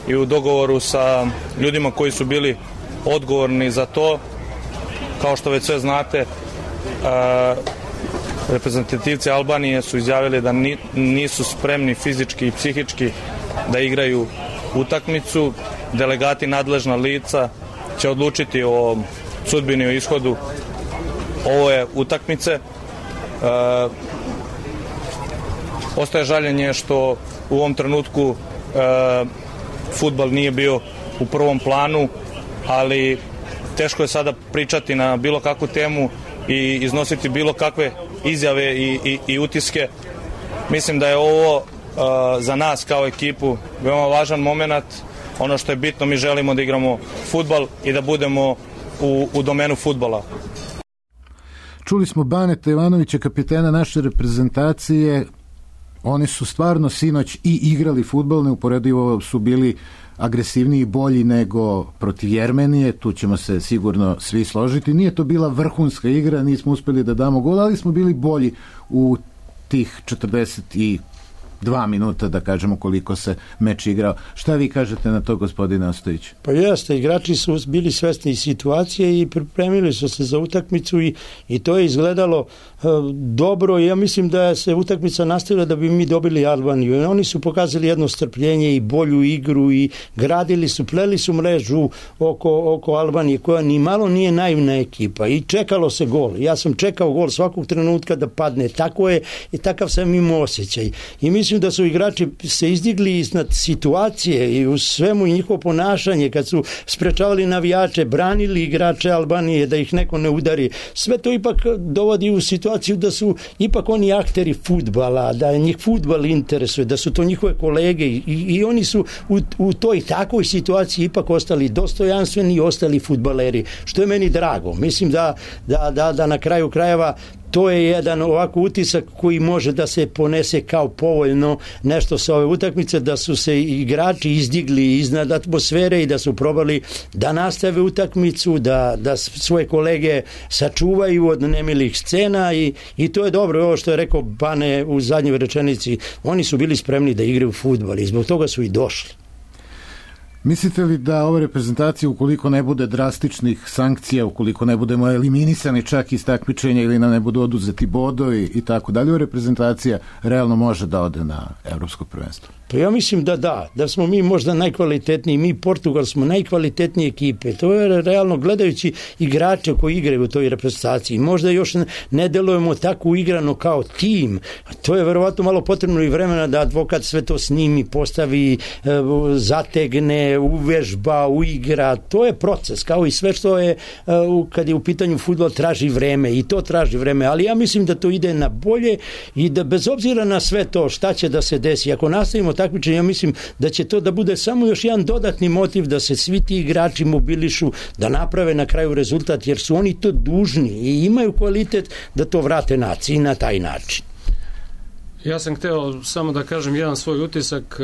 i u dogovoru sa ljudima koji su bili odgovorni za to, kao što već sve znate, a, reprezentativci Albanije su izjavili da ni, nisu spremni fizički i psihički da igraju utakmicu. Delegati, nadležna lica će odlučiti o sudbini, o ishodu ove utakmice. E, ostaje žaljenje što u ovom trenutku e, fudbal nije bio u prvom planu, ali teško je sada pričati na bilo kakvu temu i iznositi bilo kakve izjave i, i, i utiske. Mislim da je ovo uh, za nas kao ekipu veoma važan moment. Ono što je bitno, mi želimo da igramo fudbal i da budemo u, u domenu fudbala. Čuli smo Baneta Ivanovića, kapitena naše reprezentacije. Oni su stvarno sinoć i igrali fudbal, neuporedivo su bili agresivniji i bolji nego protiv Jermenije, tu ćemo se sigurno svi složiti. Nije to bila vrhunska igra, nismo uspeli da damo gol, ali smo bili bolji u tih četrdeset dva minuta, da kažemo koliko se meč igrao. Šta vi kažete na to, gospodine Ostojić? Pa jeste, igrači su bili svesni situacije i pripremili su se za utakmicu i, i to je izgledalo uh, dobro. Ja mislim da se utakmica nastavila da bi mi dobili Albaniju. I oni su pokazali jedno strpljenje i bolju igru i gradili su, pleli su mrežu oko, oko Albanije, koja ni malo nije naivna ekipa i čekalo se gol. Ja sam čekao gol svakog trenutka da padne. Tako je i takav sam imao osjećaj. I mislim da su igrači se izdigli iznad situacije i u svemu i njihovo ponašanje, kad su sprečavali navijače, branili igrače Albanije da ih neko ne udari. Sve to ipak dovodi u situaciju da su ipak oni akteri fudbala, da njih fudbal interesuje, da su to njihove kolege i, i oni su u, u toj takvoj situaciji ipak ostali dostojanstveni i ostali fudbaleri, što je meni drago. Mislim da, da, da, da na kraju krajeva to je jedan ovako utisak koji može da se ponese kao povoljno nešto sa ove utakmice, da su se igrači izdigli iznad atmosfere i da su probali da nastave utakmicu, da, da svoje kolege sačuvaju od nemilih scena i, i to je dobro. Ovo što je rekao Bane u zadnjoj rečenici, oni su bili spremni da igraju fudbal i zbog toga su i došli. Mislite li da ova reprezentacija, ukoliko ne bude drastičnih sankcija, ukoliko ne budemo eliminisani čak iz takmičenja ili nam ne budu oduzeti bodovi i tako dalje, ova reprezentacija realno može da ode na evropsko prvenstvo? Pa ja mislim da da, da smo mi možda najkvalitetniji, mi Portugal smo najkvalitetnije ekipe, to je realno gledajući igrače koji igraju u toj reprezentaciji, možda još ne delujemo tako uigrano kao tim, to je verovatno malo potrebno i vremena da advokat sve to snimi, postavi, zategne, uvežba, uigra, to je proces, kao i sve što je, kad je u pitanju fudbal, traži vreme i to traži vreme, ali ja mislim da to ide na bolje i da bez obzira na sve to šta će da se desi, ako nastavimo takmičenje, ja mislim da će to da bude samo još jedan dodatni motiv da se svi ti igrači mobilišu, da naprave na kraju rezultat, jer su oni to dužni i imaju kvalitet da to vrate naciji na taj način. Ja sam hteo samo da kažem jedan svoj utisak.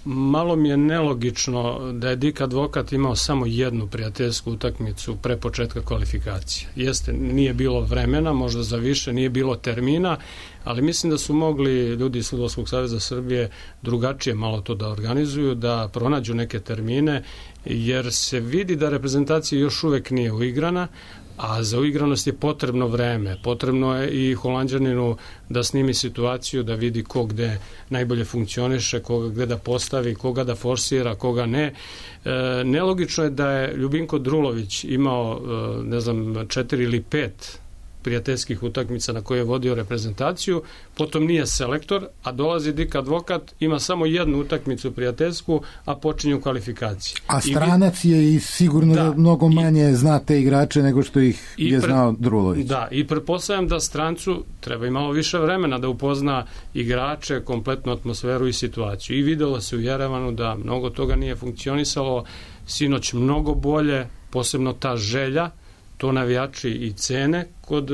Malo mi je nelogično da je Dik Advokat imao samo jednu prijateljsku utakmicu pre početka kvalifikacije. Jeste, nije bilo vremena, možda za više, nije bilo termina, ali mislim da su mogli ljudi iz Fudbalskog saveza Srbije drugačije malo to da organizuju, da pronađu neke termine, jer se vidi da reprezentacija još uvek nije uigrana. a za uigranost je potrebno vreme, potrebno je i Holanđaninu da snimi situaciju, da vidi ko gde najbolje funkcioniše, koga gde da postavi, koga da forsira, koga ne. E, nelogično je da je Ljubinko Drulović imao, e, ne znam, četiri ili pet prijateljskih utakmica na koje je vodio reprezentaciju, potom nije selektor, a dolazi Dik Advokat, ima samo jednu utakmicu prijateljsku, a počinju kvalifikacije. A stranac je i sigurno da, mnogo manje i, zna te igrače nego što ih je pre, znao Drulović. Da, i pretpostavljam da strancu treba i malo više vremena da upozna igrače, kompletnu atmosferu i situaciju. I videlo se u Jerevanu da mnogo toga nije funkcionisalo, sinoć mnogo bolje, posebno ta želja, to navijači i cene kod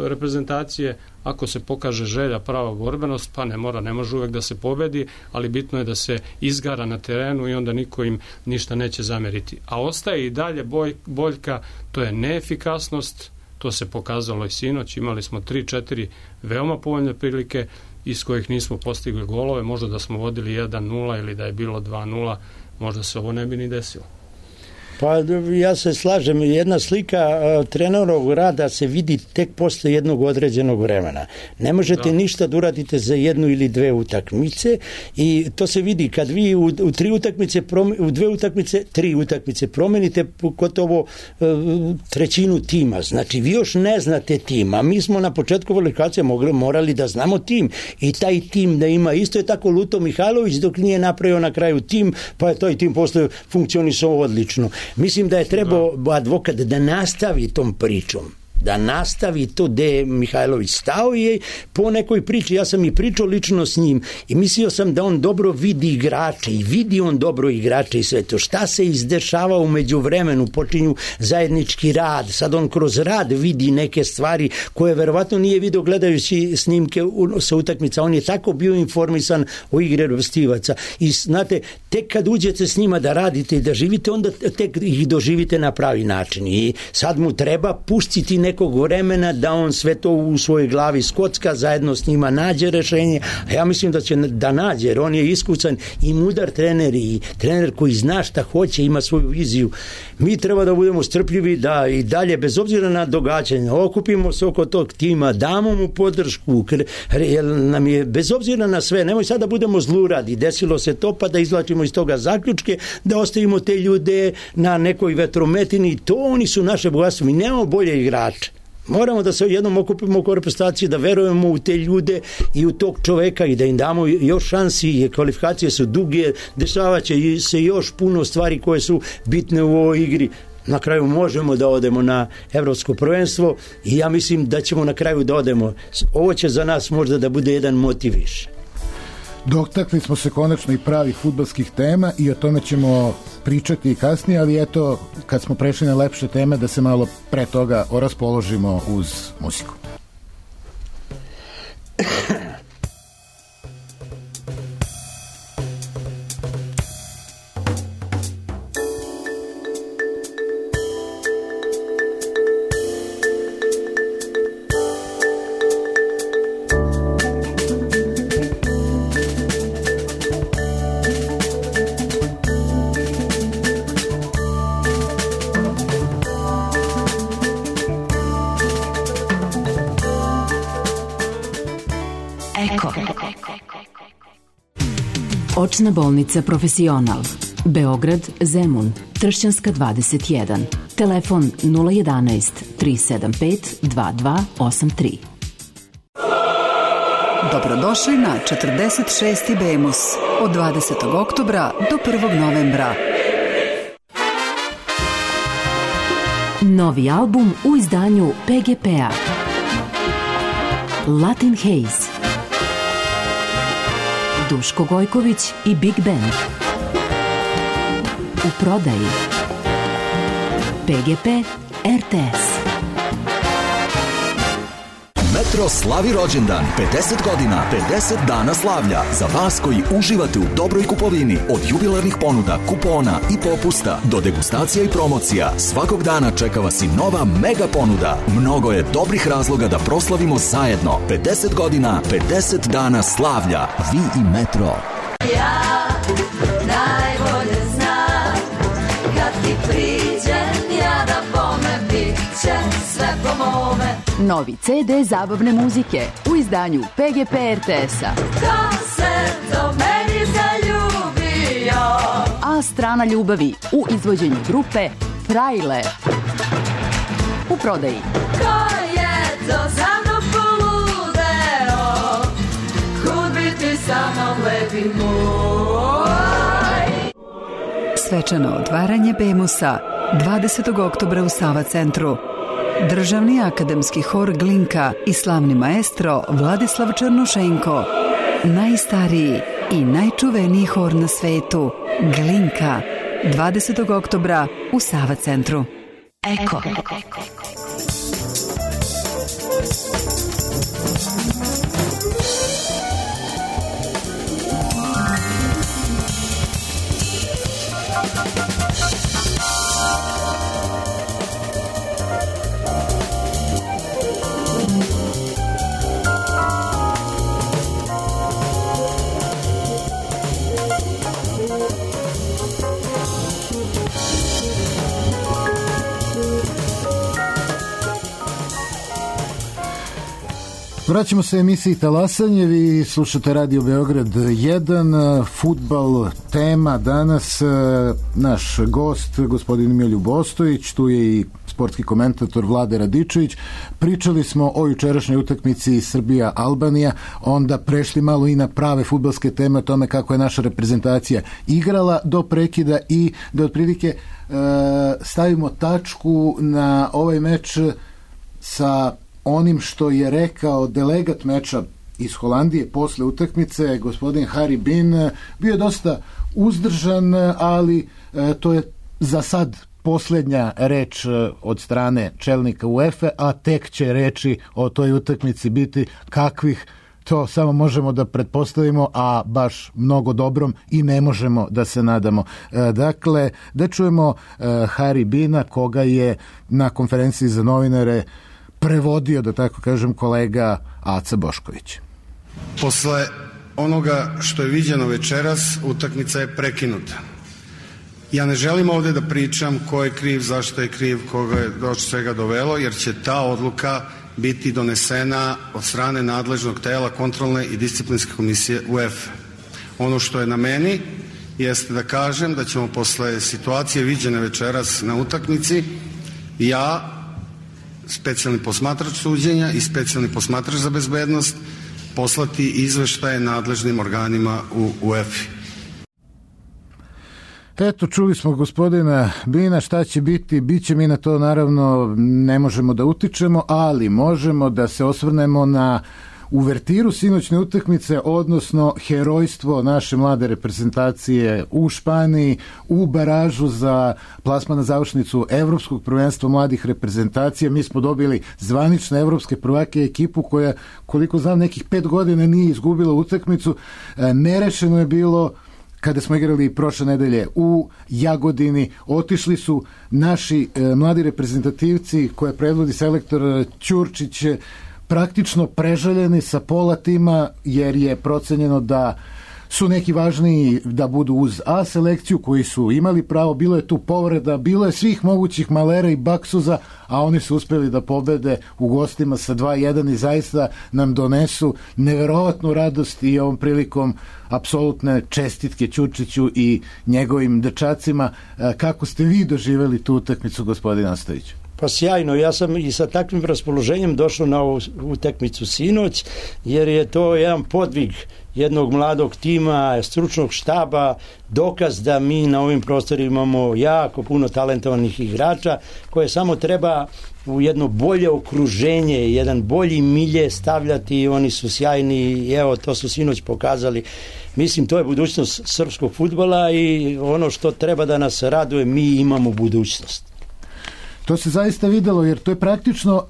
reprezentacije. Ako se pokaže želja, prava borbenost, pa ne mora, ne može uvek da se pobedi, ali bitno je da se izgara na terenu i onda niko im ništa neće zameriti. A ostaje i dalje boj, boljka, to je neefikasnost, to se pokazalo i sinoć, imali smo tri četiri veoma povoljne prilike iz kojih nismo postigli golove, možda da smo vodili jedan nula ili da je bilo dva nula, možda se ovo ne bi ni desilo. Pa ja se slažem, jedna slika uh, trenerovog rada se vidi tek posle jednog određenog vremena. Ne možete da. ništa da uradite za jednu ili dve utakmice i to se vidi kad vi u, u tri utakmice, u dve utakmice, tri utakmice promenite gotovo uh, trećinu tima. Znači vi još ne znate tima. Mi smo na početku kvalifikacije mogli, morali da znamo tim i taj tim da ima. Isto je tako Luto Mihajlović dok nije napravio na kraju tim, pa je taj tim posle funkcionisao odlično. Mislim da je trebao Advokat da nastavi tom pričom, da nastavi to gde je Mihajlović stao i po nekoj priči, ja sam i pričao lično s njim i mislio sam da on dobro vidi igrače i vidi on dobro igrače i sve to. Šta se izdešava u međuvremenu, počinju zajednički rad, sad on kroz rad vidi neke stvari koje verovatno nije vidio gledajući snimke sa utakmica, on je tako bio informisan o igre Rstivaca i znate, tek kad uđete s njima da radite i da živite, onda tek ih doživite na pravi način i sad mu treba pustiti nekog vremena da on sve to u svojoj glavi skocka, zajedno s njima nađe rešenje, a ja mislim da će da nađe, jer on je iskusan i mudar trener i trener koji zna šta hoće, ima svoju viziju. Mi treba da budemo strpljivi, da i dalje, bez obzira na događanje, okupimo se oko tog tima, damo mu podršku, jer nam je, bez obzira na sve, nemoj sad da budemo zluradi, desilo se to, pa da izvlačimo iz toga zaključke, da ostavimo te ljude na nekoj vetrometini, to oni su naše bogatstvo, mi nemamo bolje igrače. Moramo da se jednom okupimo oko reprezentacije, da verujemo u te ljude i u tog čoveka i da im damo još šansi, kvalifikacije su duge, dešavaće se još puno stvari koje su bitne u ovoj igri. Na kraju možemo da odemo na evropsko prvenstvo i ja mislim da ćemo na kraju da odemo. Ovo će za nas možda da bude jedan motiv više. Dotakli smo se konačno i pravih fudbalskih tema i o tome ćemo pričati i kasnije, ali eto, kad smo prešli na lepše teme, da se malo pre toga oraspoložimo uz muziku. Očna bolnica Profesional, Beograd, Zemun, Tršćanska dvadeset jedan, telefon nula jedanaest tri sedam pet dva dva osam tri. Dobrodošli na četrdeset šesti Bemus od dvadesetog oktobra do prvog novembra. Novi album u izdanju P G P-a. Latin Haze. Duško Gojković i Big Band. U prodaji P G P R T S. Metro slavi rođendan, pedeset godina, pedeset dana slavlja. Za vas koji uživate u dobroj kupovini, od jubilarnih ponuda, kupona i popusta do degustacija i promocija, svakog dana čeka vas i nova mega ponuda. Mnogo je dobrih razloga da proslavimo zajedno. pedeset godina, pedeset dana slavlja. Vi i Metro. Ja najbolje znam, kad ti priđem, ja da bome bit će Novi ce de zabavne muzike u izdanju P G P R T S-a. Ko se do meni zaljubio? A strana ljubavi u izvođenju grupe Frajle. U prodaji. Ko je to za mnom poludeo? Kud biti sa mnom lepi moj? Svečano otvaranje Bemusa dvadesetog oktobra u Sava centru. Državni akademski hor Glinka i slavni maestro Vladislav Černošenko. Najstariji i najčuveniji hor na svetu, Glinka, dvadesetog oktobra u Sava centru. Eko. Vraćamo se emisiji Talasanje, vi slušate Radio Beograd jedan, fudbal tema danas, naš gost gospodin Miroljub Ostojić, tu je i sportski komentator Vlade Radičević. Pričali smo o jučerašnjoj utakmici Srbija-Albanija, onda prešli malo i na prave fudbalske teme o tome kako je naša reprezentacija igrala do prekida i da otprilike e, stavimo tačku na ovaj meč sa onim što je rekao delegat meča iz Holandije posle utakmice, gospodin Harry Bin. Bio je dosta uzdržan, ali e, to je za sad posljednja reč od strane čelnika UEFA, a tek će reči o toj utakmici biti kakvih, to samo možemo da pretpostavimo, a baš mnogo dobrom i ne možemo da se nadamo. E, dakle, da čujemo e, Harry Bina, koga je na konferenciji za novinare prevodio, da tako kažem, kolega Aca Bošković. Posle onoga što je viđeno večeras, utakmica je prekinuta. Ja ne želim ovde da pričam ko je kriv, zašto je kriv, koga je do svega dovelo, jer će ta odluka biti donesena od strane nadležnog tela kontrolne i disciplinske komisije UEFA. Ono što je na meni jeste da kažem da ćemo posle situacije viđene večeras na utakmici, ja, specijalni posmatrač suđenja i specijalni posmatrač za bezbednost, poslati izveštaje nadležnim organima u UEFA. Eto, čuli smo gospodina Bina, šta će biti, bit će, mi na to naravno ne možemo da utičemo, ali možemo da se osvrnemo na uvertiru sinoćne utakmice, odnosno herojstvo naše mlade reprezentacije u Španiji, u baražu za plasman na završnicu Evropskog prvenstva mladih reprezentacija. Mi smo dobili zvanične evropske prvake, ekipu koja, koliko znam, nekih pet godina nije izgubila utakmicu. Nerešeno je bilo kada smo igrali prošle nedelje u Jagodini. Otišli su naši e, mladi reprezentativci koje predvodi selektor Ćurčić praktično preželjeni sa pola tima, jer je procenjeno da su neki važniji da budu uz A selekciju, koji su imali pravo. Bilo je tu povreda, bilo je svih mogućih malera i baksuza, a oni su uspeli da pobede u gostima sa dva jedan i zaista nam donesu neverovatnu radost i ovom prilikom apsolutne čestitke Ćurčiću i njegovim dečacima. Kako ste vi doživjeli tu utakmicu, gospodin Ostojić? Pa sjajno, ja sam i sa takvim raspoloženjem došao na ovu utakmicu sinoć, jer je to jedan podvig jednog mladog tima, stručnog štaba, dokaz da mi na ovim prostorima imamo jako puno talentovanih igrača koje samo treba u jedno bolje okruženje, jedan bolji milje stavljati. Oni su sjajni i evo, to su sinoć pokazali. Mislim, to je budućnost srpskog fudbala i ono što treba da nas raduje, mi imamo budućnost. To se zaista videlo, jer to je praktično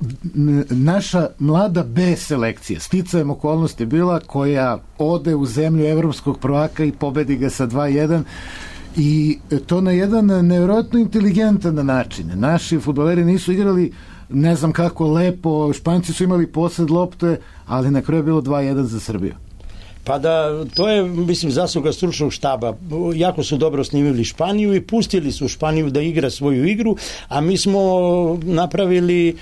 naša mlada B selekcija. Sticajem okolnosti bila koja ode u zemlju evropskog prvaka i pobedi ga sa dva jedan. I to na jedan nevjerojatno inteligentan način. Naši fudbaleri nisu igrali ne znam kako lepo, Španci su imali posed lopte, ali na kraju je bilo dva jedan za Srbiju. Pa da, to je, mislim, zasluga stručnog štaba. Jako su dobro snimili Španiju i pustili su Španiju da igra svoju igru, a mi smo napravili e,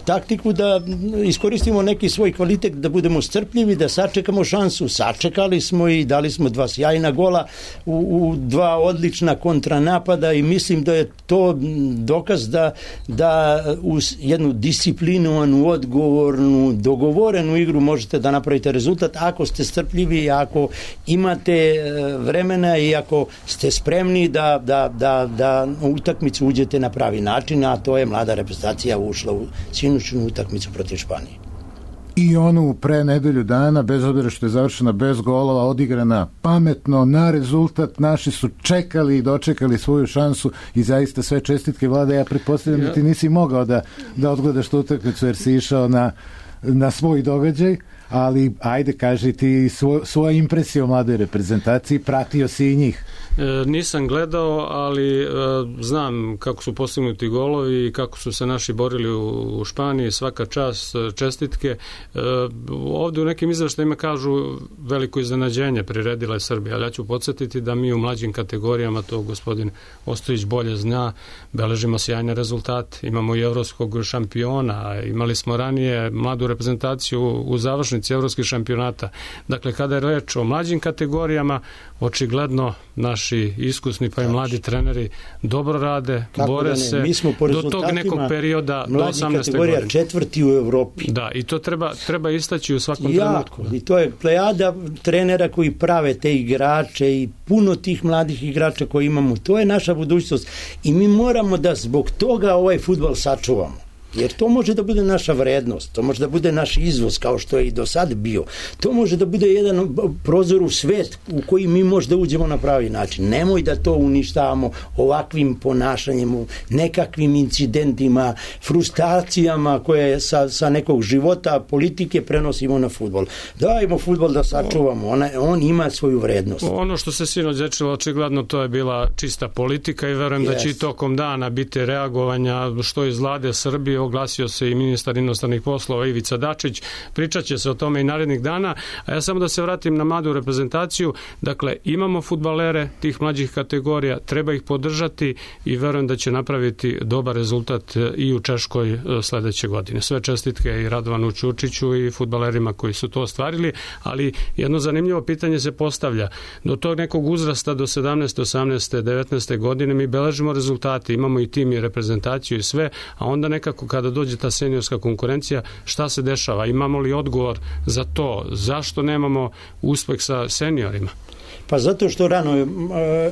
taktiku da iskoristimo neki svoj kvalitet, da budemo strpljivi, da sačekamo šansu. Sačekali smo i dali smo dva sjajna gola u, u dva odlična kontranapada i mislim da je to dokaz da, da uz jednu disciplinovanu, odgovornu, dogovorenu igru možete da napravite rezultat ako ste strpljivi, ako imate vremena i ako ste spremni da, da, da, da u utakmicu uđete na pravi način, a to je mlada reprezentacija ušla u sinoćnu utakmicu protiv Španije. I onu pre nedelju dana, bez obzira što je završena bez golova, odigrana pametno, na rezultat, naši su čekali i dočekali svoju šansu i zaista sve čestitke, Vlade. Ja pretpostavljam ja. da ti nisi mogao da, da odgledaš tu utakmicu jer si išao na, na svoj događaj, ali ajde kaži ti svo, svoja impresija o mladoj reprezentaciji, pratio si i njih. E, nisam gledao, ali e, znam kako su postignuti golovi i kako su se naši borili u, u Španiji, svaka čast, čestitke. E, ovdje u nekim izveštajima kažu veliko iznenađenje priredila je Srbija, ali ja ću podsjetiti da mi u mlađim kategorijama, to gospodin Ostojić bolje zna, beležimo sjajne rezultate. Imamo i evropskog šampiona, imali smo ranije mladu reprezentaciju u završnici evropskih šampionata. Dakle, kada je reč o mlađim kategorijama, očigledno naši iskusni pa i mladi treneri dobro rade, kako bore da se do tog nekog perioda do osamnaeste godine. Četvrti u Evropi. Da, i to treba, treba istaći u svakom jako, trenutku. I to je plejada trenera koji prave te igrače i puno tih mladih igrača koji imamo. To je naša budućnost i mi moramo da zbog toga ovaj fudbal sačuvamo. Jer to može da bude naša vrednost, to može da bude naš izvoz kao što je i do sad bio. To može da bude jedan prozor u svet u koji mi možda uđemo na pravi način. Nemoj da to uništavamo ovakvim ponašanjem, nekakvim incidentima, frustracijama koje sa, sa nekog života, politike prenosimo na fudbal. Dajmo fudbal da sačuvamo, on, on ima svoju vrednost. Ono što se sinoć dečilo, očigledno to je bila čista politika i verujem yes. da će i tokom dana biti reagovanja što iz Vlade Srbije, oglasio se i ministar inostranih poslova Ivica Dačić, pričat će se o tome i narednih dana, a ja samo da se vratim na mladu reprezentaciju. Dakle, imamo fudbalere tih mlađih kategorija, treba ih podržati i verujem da će napraviti dobar rezultat i u Češkoj sledeće godine. Sve čestitke i Radovanu Ćurčiću i fudbalerima koji su to ostvarili, ali jedno zanimljivo pitanje se postavlja. Do tog nekog uzrasta do sedamnaeste, osamnaeste, devetnaeste godine mi beležimo rezultate, imamo i tim i reprezentaciju i sve, a onda nekako kada dođe ta seniorska konkurencija, šta se dešava? Imamo li odgovor za to? Zašto nemamo uspeh sa seniorima? Pa zato što rano uh,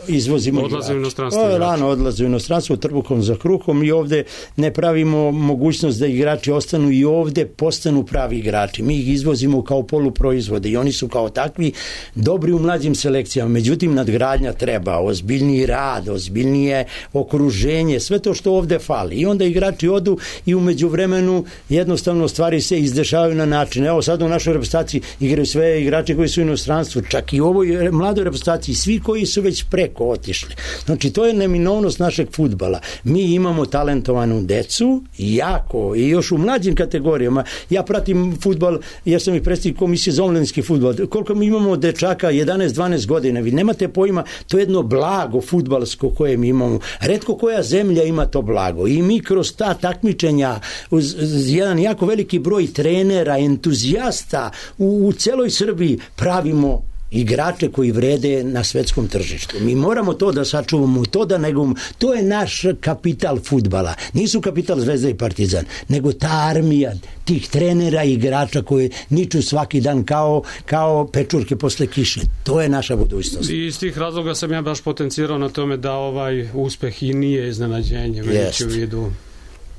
izvozimo odlaze u inostranstvo. O, rano odlaze u inostranstvo trbuhom za kruhom i ovde ne pravimo mogućnost da igrači ostanu i ovde postanu pravi igrači. Mi ih izvozimo kao poluproizvode i oni su kao takvi dobri u mlađim selekcijama. Međutim, nadgradnja treba, ozbiljniji rad, ozbiljnije okruženje, sve to što ovde fali. I onda igrači odu i u međuvremenu jednostavno stvari se izdešavaju na način. Evo sad u našoj reprezentaciji igraju sve igrači koji su u inostranstvu, čak i u ovoj mladoj reprezentaciji, svi koji su već preko otišli. Znači, to je neminovnost našeg fudbala. Mi imamo talentovanu decu, jako, i još u mlađim kategorijama. Ja pratim fudbal, jer sam i predsjednik komisije za omladinski fudbal. Koliko mi imamo dečaka, jedanaest dvanaest godina, vi nemate pojma, to je jedno blago fudbalsko koje mi imamo. Retko koja zemlja ima to blago. I mi kroz ta takmičenja, uz, uz jedan jako veliki broj trenera, entuzijasta u, u celoj Srbiji pravimo igrače koji vrede na svetskom tržištu. Mi moramo to da sačuvamo, to da negujemo. To je naš kapital fudbala. Nisu kapital Zvezda i Partizan, nego ta armija tih trenera i igrača koji niču svaki dan kao, kao pečurke posle kiše. To je naša budućnost. I iz tih razloga sam ja baš potencirao na tome da ovaj uspeh i nije iznenađenje, već u vidu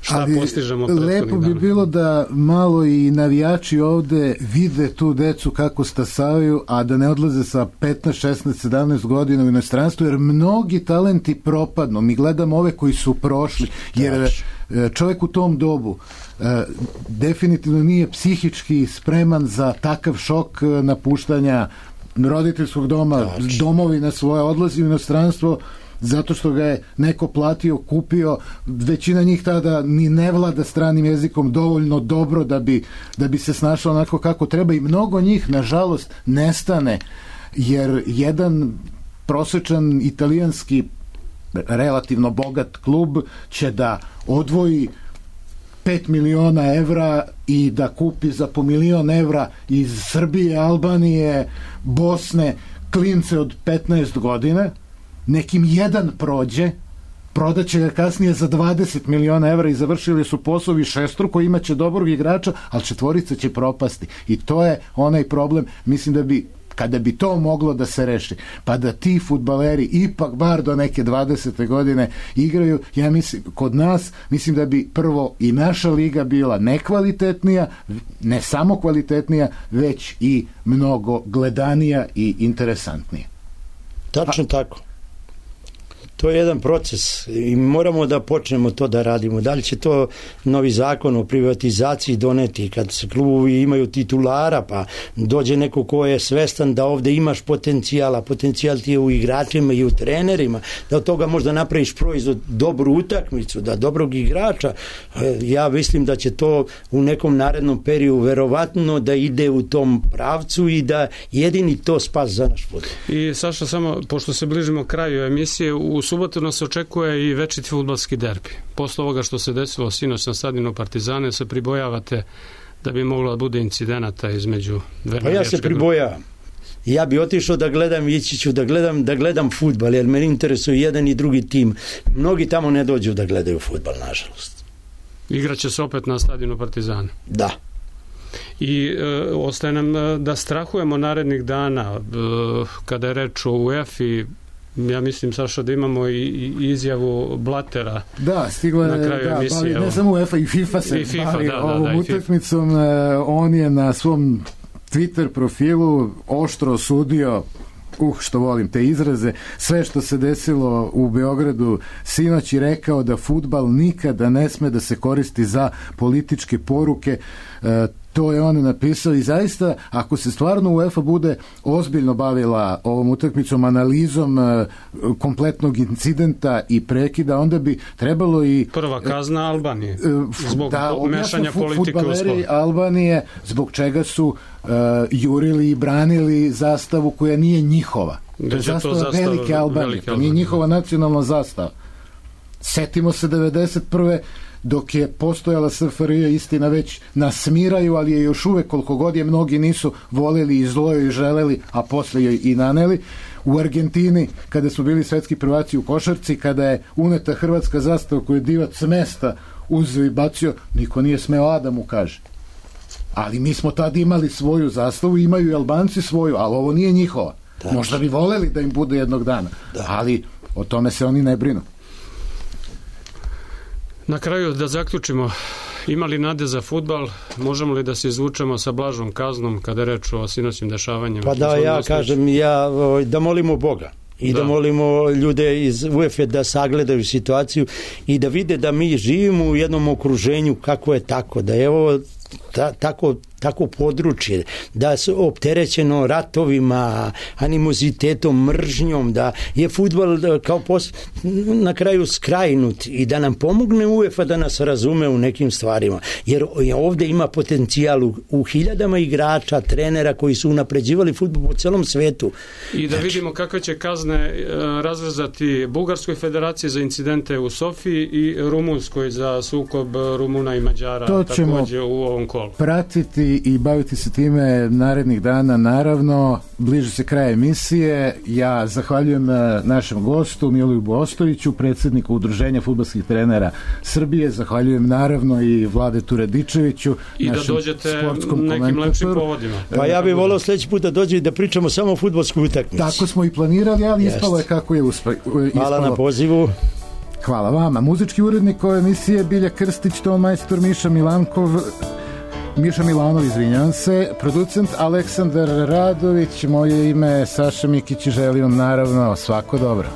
šta ali postižemo. Lepo bi bilo da malo i navijači ovde vide tu decu kako stasavaju, a da ne odlaze sa petnaest, šesnaest, sedamnaest godina u inostranstvu, jer mnogi talenti propadnu. Mi gledamo ove koji su prošli, jer čovjek u tom dobu definitivno nije psihički spreman za takav šok napuštanja roditeljskog doma, domovina svoja, odlazi u inostranstvo zato što ga je neko platio, kupio, većina njih tada ni ne vlada stranim jezikom dovoljno dobro da bi, da bi se snašao onako kako treba i mnogo njih, nažalost, nestane, jer jedan prosječan italijanski relativno bogat klub će da odvoji pet miliona evra i da kupi za po milion evra iz Srbije, Albanije, Bosne klince od petnaest godina, nekim jedan prođe, prodaće ga kasnije za dvadeset miliona evra i završili su poslovi šestruko, imaće dobrog igrača, ali četvorica će propasti. I to je onaj problem, mislim da bi kada bi to moglo da se reši, pa da ti fudbaleri ipak bar do neke dvadesete godine igraju, ja mislim, kod nas, mislim da bi prvo i naša liga bila nekvalitetnija, ne samo kvalitetnija, već i mnogo gledanija i interesantnija. Tačno A... tako. To je jedan proces i moramo da počnemo to da radimo. Da li će to novi zakon o privatizaciji doneti kad se klubovi imaju titulara, pa dođe neko ko je svestan da ovde imaš potencijala, potencijal ti je u igračima i u trenerima, da od toga možda napraviš proizvod, dobru utakmicu, da dobrog igrača. Ja mislim da će to u nekom narednom periodu verovatno da ide u tom pravcu i da jedini to spas za naš fudbal. I Saša, samo pošto se bližimo kraju emisije, u subotu nas očekuje i večiti fudbalski derbi. Posle ovoga što se desilo sinoć na stadionu Partizana, se pribojavate da bi moglo da bude incidenata između dve Pa ja se pribojavam. Ja bi otišao da gledam, ići ću da gledam, da gledam fudbal, jer me interesuje jedan i drugi tim. Mnogi tamo ne dođu da gledaju fudbal, nažalost. Igraće se opet na stadionu Partizana. Da. I e, ostaje nam da strahujemo narednih dana, e, kada je reč o UEFA-i. Ja mislim, Saša, da imamo i, i izjavu Blatera. Da, stigla je, na kraju da, emisije. Bavi, ne samo UEFA, i FIFA se I FIFA, bavi da, da, ovom da, utakmicom. On je na svom Twitter profilu oštro osudio, uh, što volim te izraze, sve što se desilo u Beogradu sinoć i rekao da fudbal nikada ne sme da se koristi za političke poruke. E, to je on napisao i zaista, ako se stvarno UEFA bude ozbiljno bavila ovom utakmicom, analizom e, kompletnog incidenta i prekida, onda bi trebalo i... Prva kazna Albanije, e, zbog da, mešanja politike u sport. Albanije, zbog čega su e, jurili i branili zastavu koja nije njihova. To je zastava, zastava velike Albanije, velike to nije njihova nacionalna zastava. Setimo se devedeset prve dok je postojala S F R J, istina već nasmiraju, ali je još uvek, koliko god je mnogi nisu voleli i zlo i želeli, a posle joj i naneli. U Argentini, kada su bili svetski prvaci u košarci, kada je uneta hrvatska zastava koju je divac mesta uzeo i bacio, niko nije smeo a da mu kaže. Ali mi smo tad imali svoju zastavu, imaju i Albanci svoju, ali ovo nije njihova. Da. Možda bi voleli da im bude jednog dana, da. Ali o tome se oni ne brinu. Na kraju da zaključimo, ima li nade za fudbal, možemo li da se izvučemo sa blažom kaznom kada je reč o sinoćnim dešavanjima? Pa da, ja kažem, ja, da molimo Boga i da. da molimo ljude iz UEFA da sagledaju situaciju i da vide da mi živimo u jednom okruženju kako je tako, da je ovo ta, tako, tako područje, da su opterećeno ratovima, animozitetom, mržnjom, da je fudbal kao pos, na kraju skrajnut i da nam pomogne UEFA da nas razume u nekim stvarima, jer ovde ima potencijal u, u hiljadama igrača, trenera koji su unapređivali fudbal po celom svetu. I da vidimo kakve će kazne e, razrezati Bugarskoj federaciji za incidente u Sofiji i Rumunskoj za sukob Rumuna i Mađara to takođe u ovom kolu. Pratiti i baviti se time narednih dana, naravno. Bliže se kraj emisije. Ja zahvaljujem našem gostu Miloljubu Ostojiću, predsjedniku Udruženja fudbalskih trenera Srbije. Zahvaljujem naravno i Vladetu Radičeviću, i da dođete nekim lepšim povodima. Pa ja bih volao sledeći put da dođe i da pričamo samo o fudbalskoj utakmici. Tako smo i planirali, ali Jest. ispalo je kako je uspelo. Hvala na pozivu. Hvala vama. Muzički urednik ove emisije Bilja Krstić, ton majstor Miša Milankov, Miša Milanov, izvinjam se, producent Aleksandar Radović, moje ime je Saša Mikić i želim naravno svako dobro.